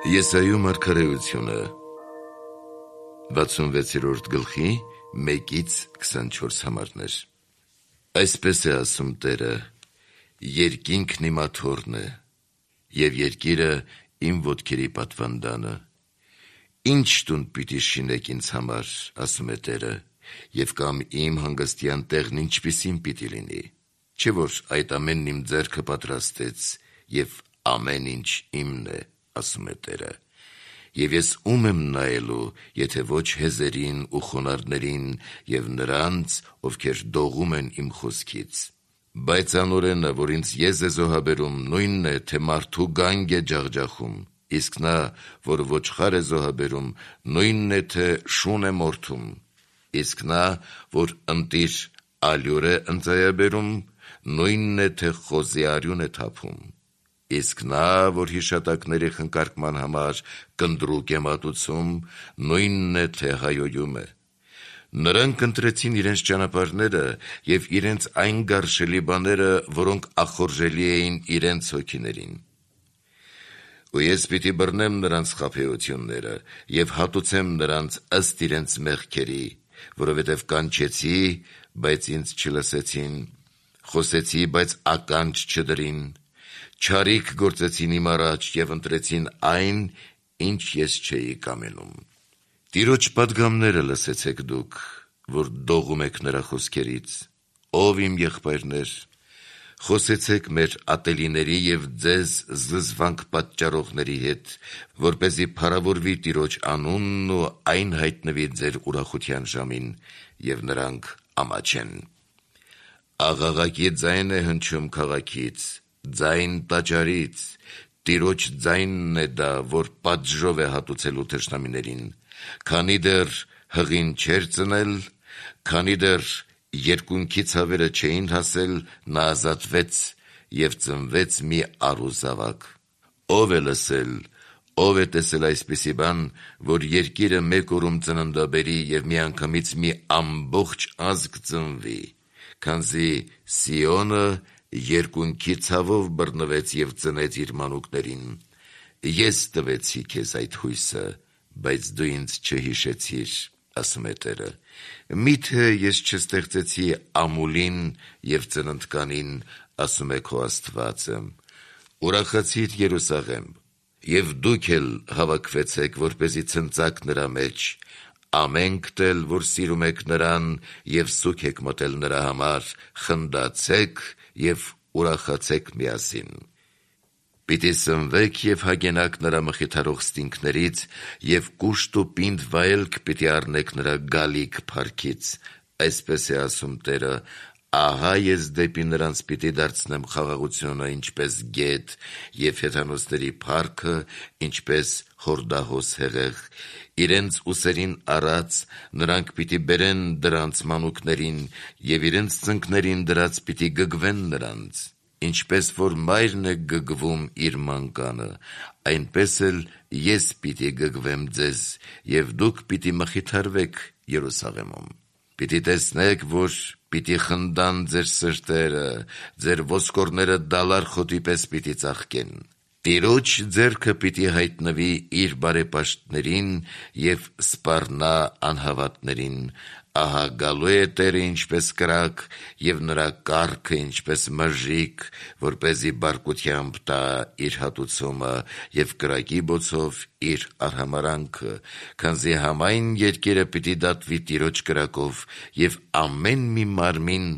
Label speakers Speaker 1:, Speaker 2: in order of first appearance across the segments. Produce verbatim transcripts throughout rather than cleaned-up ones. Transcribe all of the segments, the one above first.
Speaker 1: Եսայու մարգարեությունը վաթսունվեցերորդ գլխի մեկից քսանչորս համարներ։ Այսպես է ասում Տերը. երկինքն իմ աթոռն է, և երկիրը իմ ոտքերի պատվանդանը։ Ինչ տուն պիտի շինեք ինձ համար, ասում է Տերը, և կամ իմ հանգստյան տեղն ինչպիսին պիտի լինի։ Չէ՞ որ այդ ամենն իմ ձեռքը պատրաստեց, և ամեն ինչ իմն է, ասում է Տերը։ Եվ ես ում եմ նայելու, եթե ոչ հեզերին ու խոնարհներին և նրանց, ովքեր դողում են իմ խոսքից։ Բայց անօրենը, որ ինձ եզ է զոհաբերում, նույնն է, թե մարդու գանգ է ջախջախում, իսկ նա, որ ոչխար է զոհաբերում, նույնն է, թե շուն է մորթում, իսկ նա, որ ընտիր ալյուր է ընծայաբերում, նույնն է, թե խոզի արյուն է թափում, իսկ նա, որ հիշատակների խնկարկման համար կնդրուկ է մատուցում, նույնն է, թե հայոյում է։ Նրանք ընտրեցին իրենց ճանապարհները և իրենց այն գարշելի բաները, որոնք ախորժելի էին իրենց հոգիներին։ Ու ես պիտի բռնեմ նրանց խաբեությունները և հատուցեմ նրանց ըստ իրենց մեղքերի, որովհետև կանչեցի, բայց ինձ չլսեցին, խոսեցի, բայց ականջ չդրին, չարիք գործեցին իմ առաջ և ընտրեցին այն, ինչ ես չէի կամենում։ Տիրոջ պատգամները լսեցեք դուք, որ դողում եք նրա խոսքերից, ով իմ եղբայրներ, խոսեցեք մեր ատելիների և ձեզ զզվանք պատճառողների հետ, որպեսզի փառավորվի Տիրոջ անունն ու այն հայտնվի ձեր ուրախության ժամին, և նրանք ամաչեն։ Աղաղակի ձայն է հնչում քաղաքից, ձայն տաճարից, Տիրոջ ձայնն է դա, որ պատժով է հատուցելու թշնամիներին, քանի դեռ հղին չէր ծնել, քանի դեռ երկունքի ցավերը չէին հասել, նա ազատվեց և ծնվեց մի առուզավակ։ Ով է լսել, ով է տեսել այսպիսի բան, որ երկիրը մեկ օրում ծննդաբերի և միանգամից մի ամբողջ ազգ ծնվի, քանզի Սիոնը երկունքի ցավով բռնվեց և ծնեց իր մանուկներին։ Ես տվեցի քեզ այդ հույսը, բայց դու ինձ չհիշեցիր, ասում է Տերը։ Մի՞թե ես չստեղծեցի ամուլին և ծննդկանին, ասում է քո Աստվածը։ Ուրախացիր Երուսաղեմ, և դուք էլ հավաքվեցեք, որպեսզի ցնծաք նրա մեջ, ամենքդ էլ, որ սիրում եք նրան և սուգ եք մտել նրա համար, խնդացեք և ուրախացեք միասին։ Պիտի սնվեք և հագենաք նրա մխիթարող ստինգներից և կուշտ ու պինդ վայելք պիտի առնեք նրա գալիք փառքից, այսպես է ասում Տերը, ահա ես դեպի նրանց պիտի դարձնեմ խաղաղությունը, ինչպես գետ, և հեթանոսների փառքը, ինչպես հորդահոս հեղեղ, իրենց ուսերին առած նրանք պիտի բերեն դրանց մանուկներին և իրենց ծնկներին դրած պիտի գգվեն նրանց, ինչպես որ մայրն է գգվում իր մանկանը, այնպես էլ ես պիտի գգվեմ ձեզ, և դուք պիտի մխիթարվեք Երուսաղեմում։ Պիտի տեսնեք, որ պիտի խնդան ձեր սրտերը, ձեր ոսկորները դալար խոտի պես պիտի ծաղկեն։ Տիրոջ ձեռքը պիտի հայտնվի իր բարեպաշտներին և սպառնա անհավատներին, ահա գալու է Տերը ինչպես կրակ, և նրա կառքը ինչպես մրրիկ, որպեսզի բարկությամբ տա իր հատուցումը և կրակի բոցով իր արհամարհանքը, քանզի համայն երկիրը պիտի դատվի Տիրոջ կրակով, և ամեն մի մարմին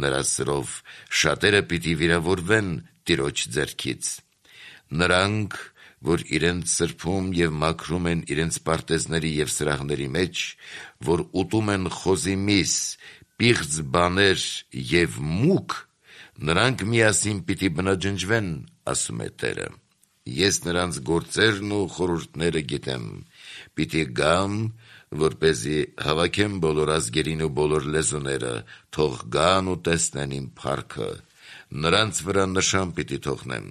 Speaker 1: նրա սրով, շատերը պիտի վիրավորվեն Տիրոջ ձեռքից։ Նրանք, որ իրենց սրբում և մաքրում են իրենց պարտեզների և սրահների մեջ, որ ուտում են խոզի միս, պիղծ բաներ և մուկ, նրանք միասին պիտի բնաջնջվեն, ասում է Տերը։ Ես նրանց գործերն ու խորհուրդները գիտեմ, պիտի գամ, որպեսզի հավաքեմ բոլոր ազգերին ու բոլոր լեզուները, թող գան ու տեսնեն իմ փառքը, նրանց վրա նշան պիտի թողնեմ,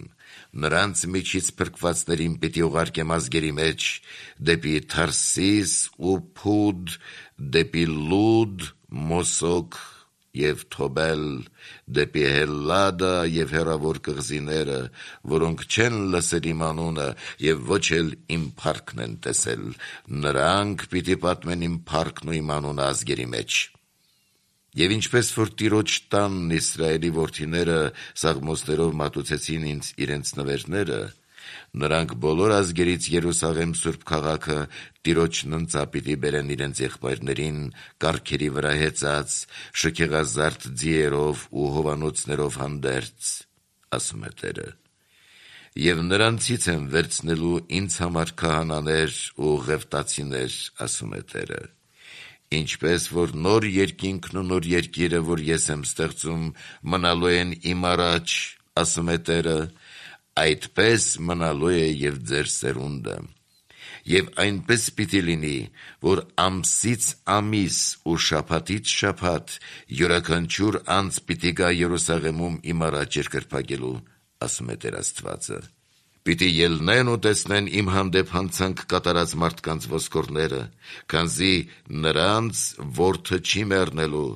Speaker 1: նրանց միջից փրկվածներին պիտի ուղարկեմ ազգերի մեջ, դեպի Թարսիս ու Փուդ, դեպի Լուդ, Մոսոկ և թոբել, դեպի Հելլադա և հեռավոր կղզիները, որոնք չեն լսել իմ անունը և ոչ էլ իմ փառքն են տեսել, նրանք պիտի պատմեն իմ փառքն ու իմ անունը ազգերի մեջ։ Եվ ինչպես որ Տիրոջ տանն Իսրայելի որդիները սաղմոսներով մատուցեցին ինձ իրենց նվերները, նրանք բոլոր ազգերից Երուսաղեմ սուրբ քաղաքը Տիրոջն ընծա պիտի բերեն իրենց եղբայրներին կառքերի վրա հեծած, շքեղազարդ ձիերով ու հովանոցներով հանդերձ, ասում է Տերը, և նրանցից եմ վերցնելու ինձ համար քահանաներ ու ղևտացիներ, ասում է Տերը, ինչպես որ նոր երկինքն ու նոր երկիրը, որ ես եմ ստեղծում, մնալու են իմ առաջ, ասում է Տերը, այդպես մնալու է և ձեր սերունդը, և այնպես պիտի լինի, որ ամսից ամիս ու շաբաթից շաբաթ յուրաքանչյուր անձ պիտի գա Երուսաղեմում իմ առաջ երկրպագելու, ասում է Տեր Աստվածը, պիտի ելնեն ու տեսնեն իմ հանդեպ հանցանք կատարած մարդկանց ոսկորները, քանզի նրանց որդը չի մեռնելու,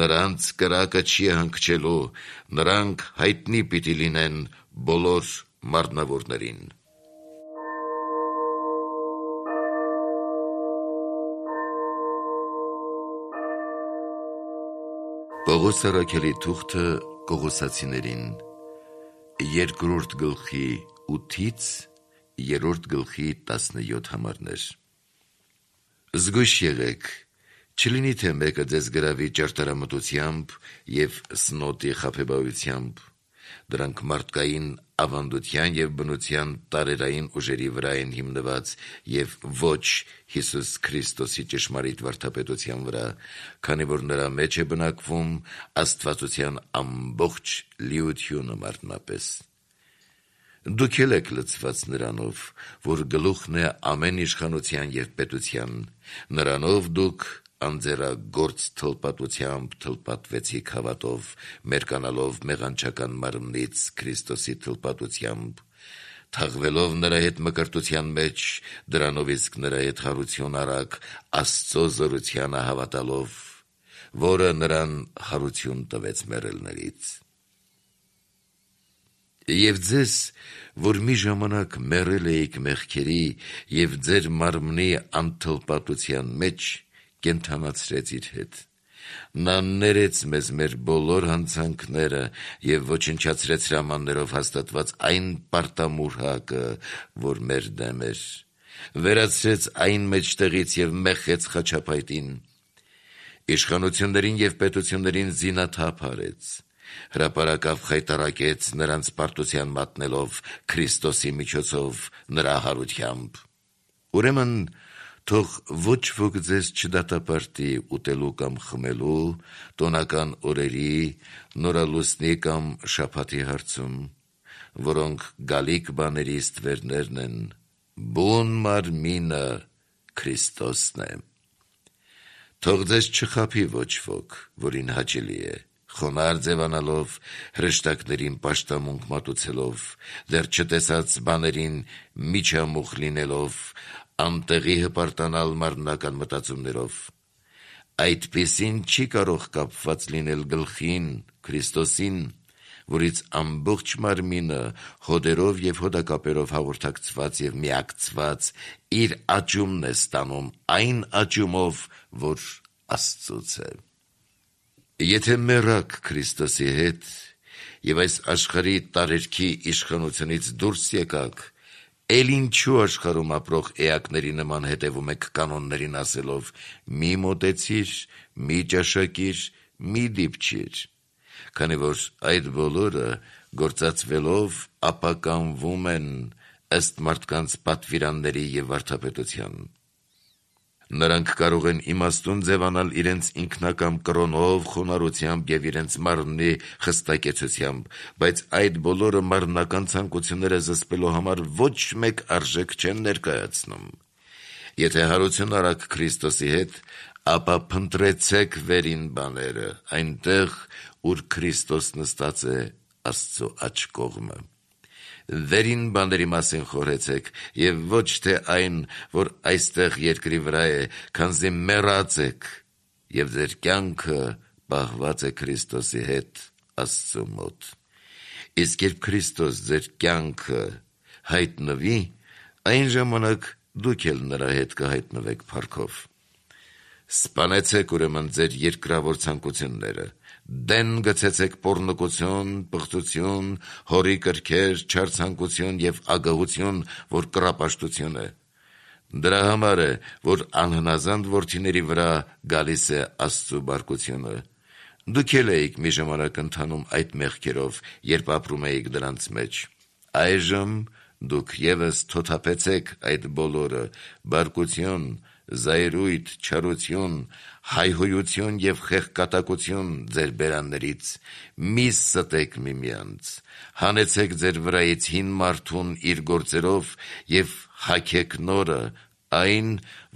Speaker 1: նրանց կրակը չի հանգչելու, նրանք հայտնի պիտի լինեն բոլոր մարմնավորներին։ Պողոս առաքյալի թուղթը Կողոսացիներին, երկրորդ գլխի ութից երրորդ գլխի տասնյոթ համարներ։ Զգույշ եղեք, չլինի թե մեկը ձեզ գրավի ճարտարամտությամբ և սնոտի խաբեբայությամբ, դրանք մարդկային ավանդության և բնության տարերային ուժերի վրա են հիմնված և ոչ Հիսուս Քրիստոսի ճշմարիտ վարդապետության վրա, քանի որ նրա մեջ է բնակվում աստվածության ամբողջ լիությունը մարմնապես։ Դուք էլ եք լցված նրանով, որ գլուխն է ամեն իշխանության և պետության, նրանով դուք անձեռագործ թլպատությամբ թլպատվեցիք հավատով, մերկանալով մեղանչական մարմնից Քրիստոսի թլպատությամբ, թաղվելով նրա հետ մկրտության մեջ, դրանով իսկ նրա հետ հարություն առաք Աստծո զորությանը հավատալով, որը նրան հարություն տվեց մեռելներից։ Եվ ձեզ, որ մի ժամանակ մեռել էիք մեղքերի և ձեր մարմնի անթլպատության մեջ, կենդանացրեց իր հետ։ Նա ներեց մեզ մեր բոլոր հանցանքները և ոչնչացրեց հրամաններով հաստատված այն պարտամուրհակը, որ մեր դեմ էր, վերացրեց այն մեջտեղից և մեխեց խաչապայտին, իշխանություններին և պետություններին զինաթափ արեց, հրապարակավ խայտառակեց նրանց պարտության մատնելով Քրիստոսի միջոցով նրա հարությամբ։ Ուրեմն թող ոչ ոք ձեզ չդատապարտի ուտելու կամ խմելու, տոնական օրերի, նորալուսնի կամ շաբաթի հարցում, որոնք գալիք բաների ստվերներն են, բուն մարմինը Քրիստոսն է։ Թող ձեզ չխաբի ոչ ոք, որին հաճելի է, խոնարհ ձևանալով, հրեշտակներին պաշտամունք մատուցելով, դեռ չտեսած բաներին միջամուխ լինելով, անտեղի հպարտանալ մարմնական մտածումներով։ Այդպիսին չի կարող կապված լինել գլխին, Քրիստոսին, որից ամբողջ մարմինը հոդերով և հոդակապերով հաղորդակցված և միակցված իր աճումն է ստանում այն աճումով, որ Աստծուց է։ Եթե մեռաք Քրիստոսի հետ և այս աշխարհի տարերքի իշխանությունից դուրս եկաք, էլ ինչու աշխարհում ապրող էակների նման հետևում եք կանոններին ասելով՝ մի մոտեցիր, մի ճաշակիր, մի դիպչիր, քանի որ այդ բոլորը գործածվելով ապականվում են ըստ մարդկանց պատվիրանների և վարդապետության։ Նրանք կարող են իմաստուն ձևանալ իրենց ինքնակամ կրոնով, խոնարհությամբ և իրենց մարմնի խստակեցությամբ, բայց այդ բոլորը մարմնական ցանկությունները զսպելու համար ոչ մեկ արժեք չեն ներկայացնում։ Եթե հարություն առաք Քրիստոսի հետ, ապա փնտրեցեք վերին բաները, այնտեղ, ուր Քրիստոս նստած է Աստծո աջ կողմը։ Վերին բաների մասին խորհեցեք և ոչ թե այն, որ այստեղ երկրի վրա է, քանզի մեռած եք և ձեր կյանքը պահված է Քրիստոսի հետ Աստծու մոտ։ Իսկ երբ Քրիստոս ձեր կյանքը հայտնվի, այն ժամանակ դուք էլ նրա հետ կհայտնվեք փառքով։ Սպանեցեք ուրեմն ձեր երկրավոր ցանկությունները, դեն գցեցեք պոռնկություն, պղծություն, հորի կրքեր, չար ցանկություն եւ ագահություն, որ կռապաշտություն է։ Դրա համար է, որ անհնազանդ որդիների վրա գալիս է Աստծու բարկությունը։ Դուք էլ էիք մի ժամանակ ընթանում այդ մեղքերով, երբ ապրում էիք դրանց մեջ։ Այժմ դուք ևս թոթափեցեք այդ բոլորը՝ բարկություն, զայրույթ, չարություն, հայհոյություն եւ խեղկատակություն ձեր բերաններից։ Մի ստեք միմյանց, հանեցեք ձեր վրայից հին մարդուն իր գործերով եւ հագեք նորը, այն,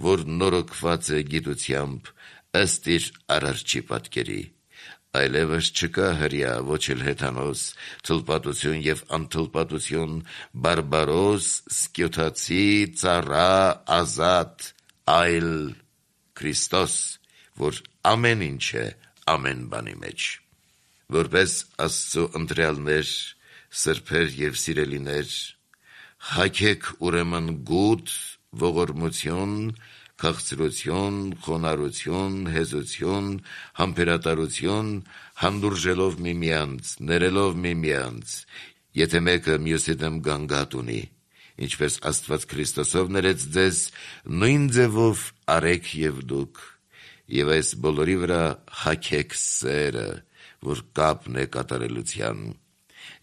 Speaker 1: որ նորոգված է գիտությամբ, ըստ իր Արարչի պատկերի։ Այլևս չկա հրյա, ոչ էլ հեթանոս, թլպատություն եւ անթլպատություն, բարբարոս, սկյոթացի, ծառա, ազատ, այլ Քրիստոս, որ ամեն ինչ է ամեն բանի մեջ։ Որպես Աստծո ընտրյալներ, սրբեր եւ սիրելիներ, հագեք ուրեմն գութ, ողորմություն, քաղցրություն, խոնարհություն, հեզություն, համբերատարություն, հանդուրժելով միմյանց, ներելով միմյանց, եթե մեկը մյուսի դեմ գանգատ ունի, ինչպես Աստված Քրիստոսով ներեց ձեզ, նույն ձևով արեք եւ դուք, եւ այս բոլորի վրա հագեք սերը, որ կապն է կատարելության,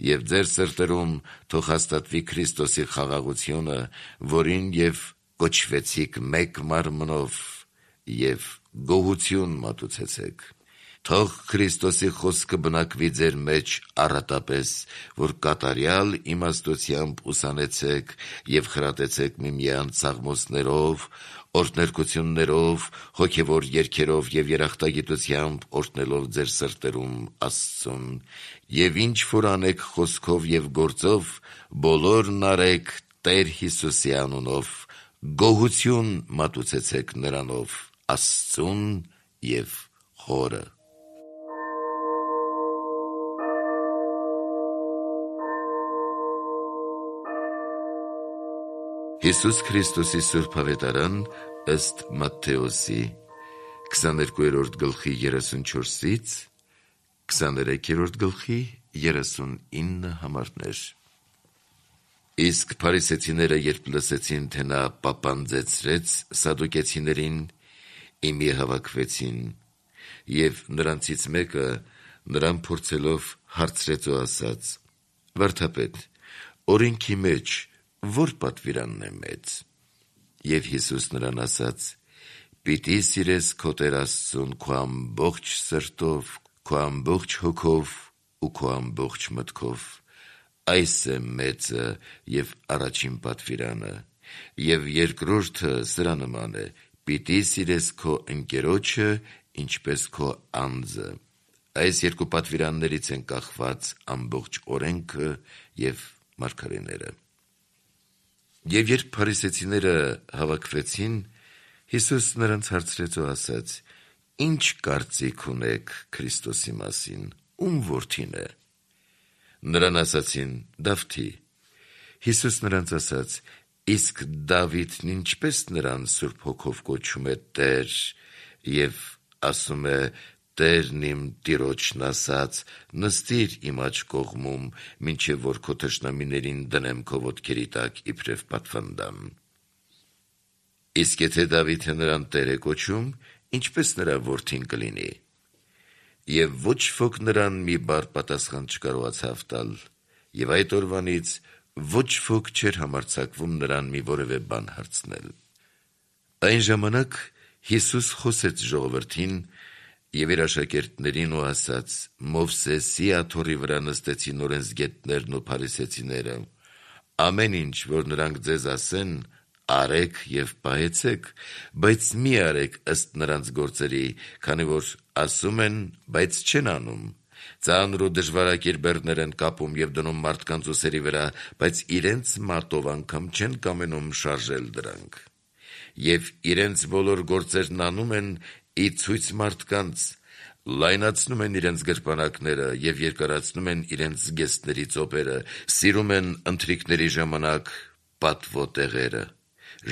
Speaker 1: եւ ձեր սրտերում թող հաստատվի Քրիստոսի խաղաղությունը, որին եւ կոչվեցիք մեկ մարմնով եւ գոհություն մատուցեցեք։ Թող Քրիստոսի խոսքը բնակվի ձեր մեջ առատապես, որ կատարյալ իմաստությամբ ուսանեցեք եւ խրատեցեք միմյանց սաղմոսներով, օրհներկություններով, հոգեվոր երգերով եւ երախտագիտությամբ օրհնելով ձեր սրտերում Աստծուն, եւ ինչ որ անեք խոսքով եւ գործով, բոլորն արեք Տեր Հիսուսի անունով, գոհություն մատուցեցեք նրանով Աստծուն եւ Հորը։ Հիսուս Քրիստոսի Սուրբ Ավետարան ըստ Մատթեոսի քսաներկուերորդ գլխի երեսունչորսից քսաներեքերորդ գլխի երեսունինը համարներ։ Իսկ փարիսեցիները, երբ լսեցին, թե նա պապանձեցրեց սադուկեցիներին, իմի հավաքվեցին, եւ նրանցից մեկը նրան փորձելով հարցրեց ու ասաց. «Վարդապետ, օրենքի մեջ որ պատվիրանն է մեծ»։ Եվ Հիսուս նրան ասաց. «Պիտի սիրես քո Տեր Աստծուն քո ամբողջ սրտով, քո ամբողջ հոգով ու քո ամբողջ մտքով։ Այս է մեծը եւ առաջին պատվիրանը, եւ երկրորդը սրա նման է. պիտի սիրես քո ընկերոջը ինչպես քո անձը։ Այս երկու պատվիրաններից են կախված ամբողջ օրենքը եւ մարգարեները»։ Եվ երբ փարիսեցիները հավաքվեցին, Հիսուս նրանց հարցրեց ու ասաց. «Ինչ կարծիք ունեք Քրիստոսի մասին, ում որդին է»։ Նրան ասացին. «Դավթի»։ Հիսուս նրանց ասաց. «Իսկ Դավիթն ինչպես նրան Սուրբ Հոգով կոչում է Տեր եւ ասում է. Տերն իմ Տիրոջն ասաց. նստիր իմ աջ կողմում, մինչեւ որ քո թշնամիներին դնեմ քո ոտքերի տակ իբրև պատվանդան»։ Իսկ եթե Դավիթը նրան Տեր է կոչում, ինչպես նրա որդին կլինի։ Եվ ոչ ոք նրան մի բառ պատասխան չկարողացավ տալ, եւ այդ օրվանից ոչ ոք չէր համարձակվում նրան մի որևէ բան հարցնել։ Այն ժամանակ Հիսուս խոսեց ժողովրդին եւ իր աշակերտներին ու ասաց. «Մովսեսի աթոռի վրա նստեցին օրենսգետներն ու փարիսեցիները։ Ամեն ինչ, որ նրանք ձեզ ասեն, արեք եւ պահեցեք, բայց մի արեք ըստ նրանց գործերի, քանի որ ասում են, բայց չեն անում։ Ծանր ու դժվարակիր բեռներ են կապում եւ դնում մարդկանց ուսերի վրա, բայց իրենց մատով անգամ չեն կամենում շարժել դրանք։ Եվ իրենց բոլոր գործերն անում են ի ցույց մարդկանց, լայնացնում են իրենց գրպանակները և երկարացնում են իրենց զգեստների ծոպերը, սիրում են ընթրիքների ժամանակ պատվոտեղերը,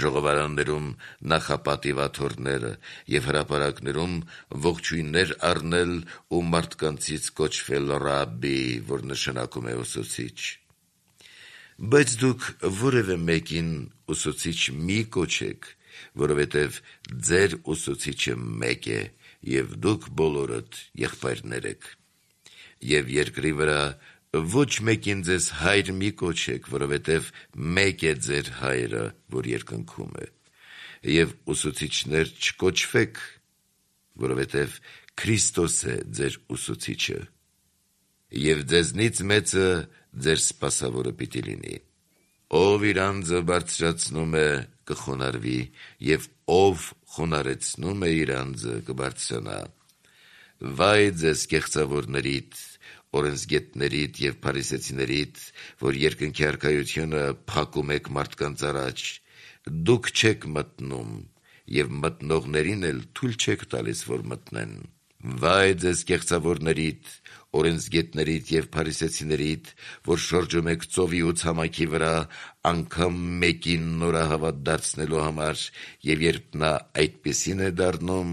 Speaker 1: ժողովարաններում նախապատիվ աթոռները և հրապարակներում ողջույններ առնել ու մարդկանցից կոչվել ռաբբի, որ նշանակում է ուսուցիչ։ Բայց դուք որևէ մեկին ուսուցիչ մի կոչեք, որովհետև ձեր ուսուցիչը մեկ է, և դուք բոլորդ եղբայրներ եք։ Եվ երկրի վրա ոչ մեկին ձեզ հայր մի կոչեք, որովհետև մեկ է ձեր հայրը, որ երկնքում է, և ուսուցիչներ չկոչվեք, որովհետև Քրիստոս է ձեր ուսուցիչը, և ձեզնից մեծը ձեր սպասավորը պիտի լինի։ Ով իր անձը բարձրացնում է, կխոնարհվի, և ով խոնարհեցնում է իր անձը, կբարձրանա։ Վայ ձեզ կեղծավորներիդ, օրենսգետներիդ և փարիսեցիներիդ, որ երկնքի առքայությունը փակում եք մարդկանց առաջ, դուք չեք մտնում, և մտնողներին էլ թույլ չեք տալիս, որ մտնեն։ Վայ ձեզ կեղծավորներիդ, օրենսգետներիդ և փարիսեցիներիդ, որ շրջում եք ծովի ու ցամաքի վրա, անգամ մեկին նորահավատ դարձնելու համար, և երբ նա այդպիսին է դառնում,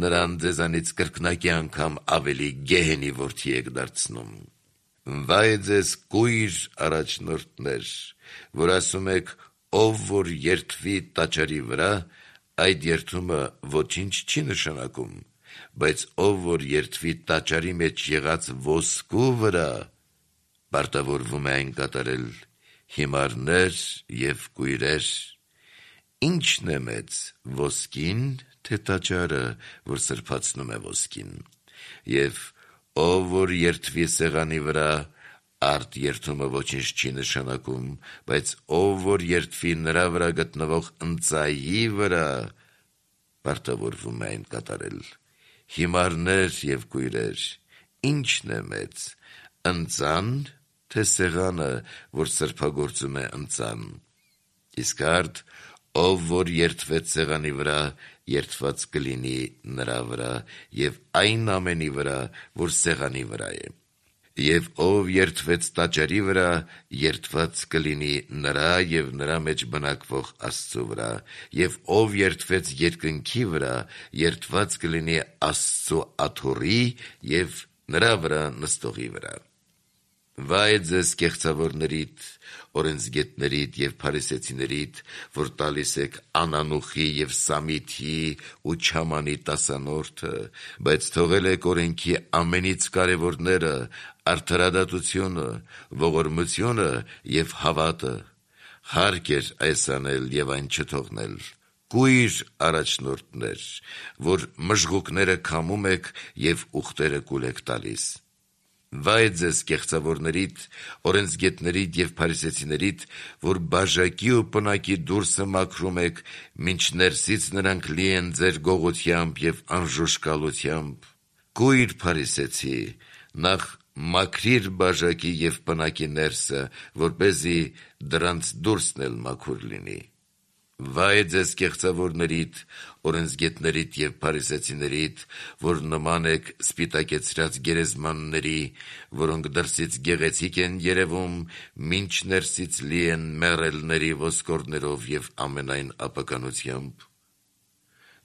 Speaker 1: նրան ձեզանից կրկնակի անգամ ավելի գեհենի որդի եք դարձնում։ Վայ ձեզ կույր առաջնորդներ, որ ասում եք, ով որ երդվի տաճարի վրա, այդ երդումը ոչինչ չի նշանակում, բայց ով որ երդվի տաճարի մեջ եղած ոսկու վրա, պարտավորվում է այն կատարել։ Հիմարներ և կույրեր, ի՞նչն է մեծ, ոսկին, թե տաճարը, որ սրբացնում է ոսկին։ Եվ ով որ երդվի սեղանի վրա, արդ երդումը ոչինչ չի նշանակում, բայց ով որ երդվի նրա վրա գտնվող ընծայի վրա, պարտավորվում է այն կատարել։ Հիմարներ և կույրեր, ի՞նչն է մեծ, ընծան, թե սեղանը, որ սրբագործում է ընծան։ Իսկ արդ, ով որ երդվեց սեղանի վրա, երդված կլինի նրա վրա և այն ամենի վրա, որ սեղանի վրա է։ Եվ ով երդվեց տաճարի վրա, երդված կլինի նրա և նրա մեջ բնակվող Աստծու վրա, և ով երդվեց երկնքի վրա, երդված կլինի Աստծու աթոռի և նրա վրա նստողի վրա։ Վայ ձեզ կեղծավորներիդ, օրենսգետներիդ և փարիսեցիներիդ, որ տալիս եք անանուխի և սամիթի ու չամանի տասանորդը, բայց թողել եք օրենքի ամենից կարևորները, արդարադատությունը, ողորմությունը և հավատը։ Հարկ էր այս անել և այն չթողնել։ Կույր առաջնորդներ, որ մժղուկները քամում եք և ուղտերը կուլ եք տալիս։ Վայ ձեզ կեղծավորներիդ, օրենսգետներիդ և փարիսեցիներիդ, որ բաժակի ու պնակի դուրսը մաքրում եք, մինչ ներսից նրանք լի են ձեր գողությամբ և անժուշկալությամբ։ Կույր փարիսեցի, նախ մաքրիր բաժակի և պնակի ներսը, որպեսզի դրանց դուրսն էլ մաքուր լինի։ Վայ ձեզ կեղծավորներիդ, օրենսգետներիդ և փարիսեցիներիդ, որ նման եք սպիտակեցրած գերեզմանների, որոնք դրսից գեղեցիկ են երևում, մինչ ներսից լի են մեռելների ոսկորներով և ամենայն ապականությամբ։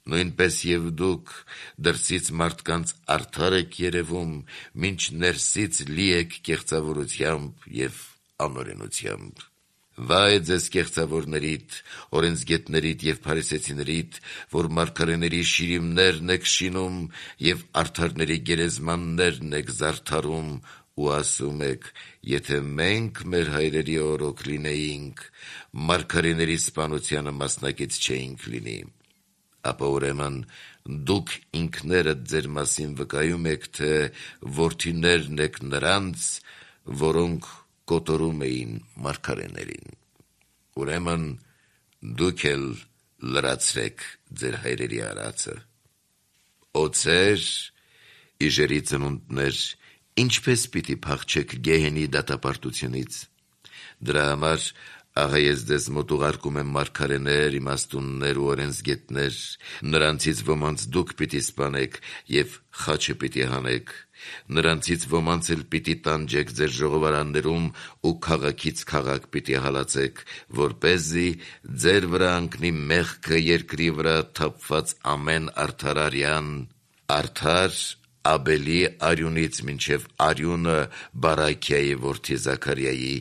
Speaker 1: Նույնպես և դուք դրսից մարդկանց արդար եք երևում, մինչ ներսից լի եք կեղծավորությամբ և անօրենությամբ։ Վայ ձեզ կեղծավորներիդ, օրենսգետներիդ և փարիսեցիներիդ, որ մարգարեների շիրիմներն եք շինում և արդարների գերեզմաններն եք զարդարում ու ասում եք. եթե մենք մեր հայրերի օրոք լինեինք, մարգարեների սպանությանը մասնակից չէինք լինի։ Ապա ուրեմն դուք ինքներդ ձեր մասին վկայում եք, թե որդիներն եք նրանց, որոնք կոտորում էին մարգարեներին։ Ուրեմն դուք էլ լրացրեք ձեր հայրերի արածը։ Օձեր, իժերի ծնունդներ, ինչպես պիտի փախչեք գեհենի դատապարտությունից։ Դրա համար Ահա ես ձեզ մոտ ուղարկում եմ մարգարեներ, իմաստուններ ու օրենսգետներ, նրանցից ոմանց դուք պիտի սպանեք և խաչը պիտի հանեք, նրանցից ոմանց էլ պիտի տանջեք ձեր ժողովարաններում ու քաղաքից քաղաք պիտի հալածեք, որպեսզի ձեր վրա ընկնի մեղքը երկրի վրա թափված ամեն արդարարյան, արդար Աբելի արյունից մինչև արյունը Բարաքիայի որդի Զաքարիայի,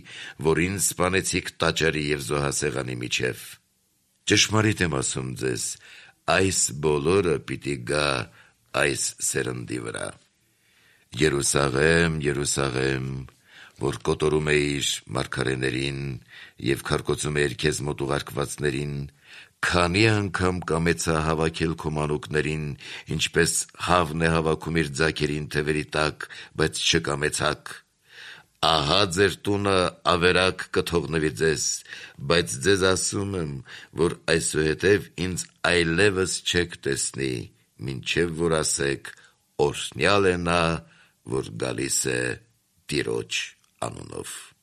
Speaker 1: որին սպանեցիք տաճարի և զոհասեղանի միջև։ Ճշմարիտ եմ ասում ձեզ, այս բոլորը պիտի գա այս սերնդի վրա։ Երուսաղեմ, Երուսաղեմ, որ կոտորում էիր մարգարեներին և քարկոծում էիր քեզ մոտ ուղարկվածներին, քանի անգամ կամեցա հավաքել քո մանուկներին, ինչպես հավն է հավաքում իր ձագերին թևերի տակ, բայց չկամեցաք։ Ահա ձեր տունը ավերակ կթողնվի ձեզ, բայց ձեզ ասում եմ, որ այսուհետև ինձ այլևս չեք տեսնի, մինչև որ ասեք. օրհնյալ է նա, որ գալիս է Տիրոջ անունով։